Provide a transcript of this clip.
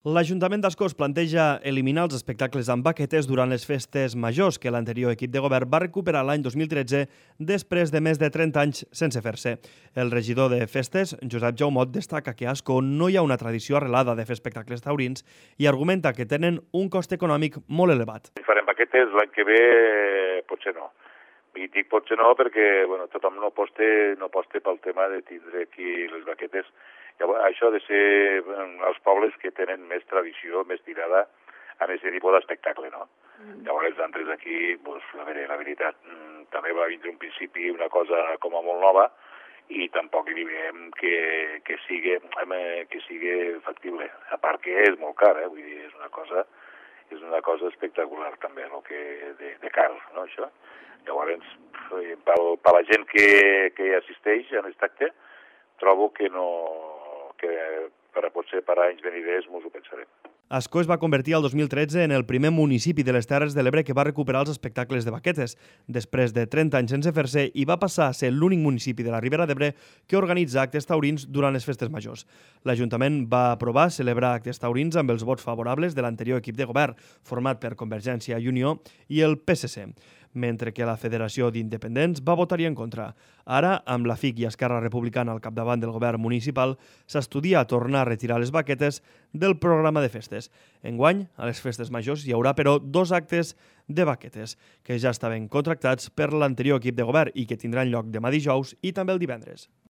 L'Ajuntament d'Ascó es planteja eliminar els espectacles amb baquetes durant les festes majors que l'anterior equip de govern va recuperar l'any 2013 després de més de 30 anys sense fer-se. El regidor de festes, Josep Jaumot, destaca que a Ascó no hi ha una tradició arrelada de fer espectacles taurins i argumenta que tenen un cost econòmic molt elevat. Si farem baquetes l'any que ve, potser no. I dic potser no perquè tothom no aposta pel tema de tindre aquí les baquetes. Llavors, això ha de ser els pobles que tenen més tradició, més tirada en aquest tipus d'espectacle, no? Llavors, els altres aquí, a veure, la veritat, també va vindre un principi una cosa com a molt nova i tampoc hi veiem que sigui factible. A part que és molt car, vull dir, és una cosa espectacular també, el que de car, no, això? Llavors, per la gent que hi assisteix a aquest acte, trobo que potser per anys veniders mos ho pensarem. Ascó es va convertir el 2013 en el primer municipi de les Terres de l'Ebre que va recuperar els espectacles de baquetes. Després de 30 anys sense fer-se, i va passar a ser l'únic municipi de la Ribera d'Ebre que organitza actes taurins durant les festes majors. L'Ajuntament va aprovar celebrar actes taurins amb els vots favorables de l'anterior equip de govern, format per Convergència i Unió i el PSC, mentre que la Federació d'Independents va votar-hi en contra. Ara, amb la FIC i Esquerra Republicana al capdavant del govern municipal, s'estudia tornar a retirar les baquetes del programa de festes. Enguany, a les festes majors hi haurà, però, 2 actes de baquetes, que ja estaven contractats per l'anterior equip de govern i que tindran lloc demà dijous i també el divendres.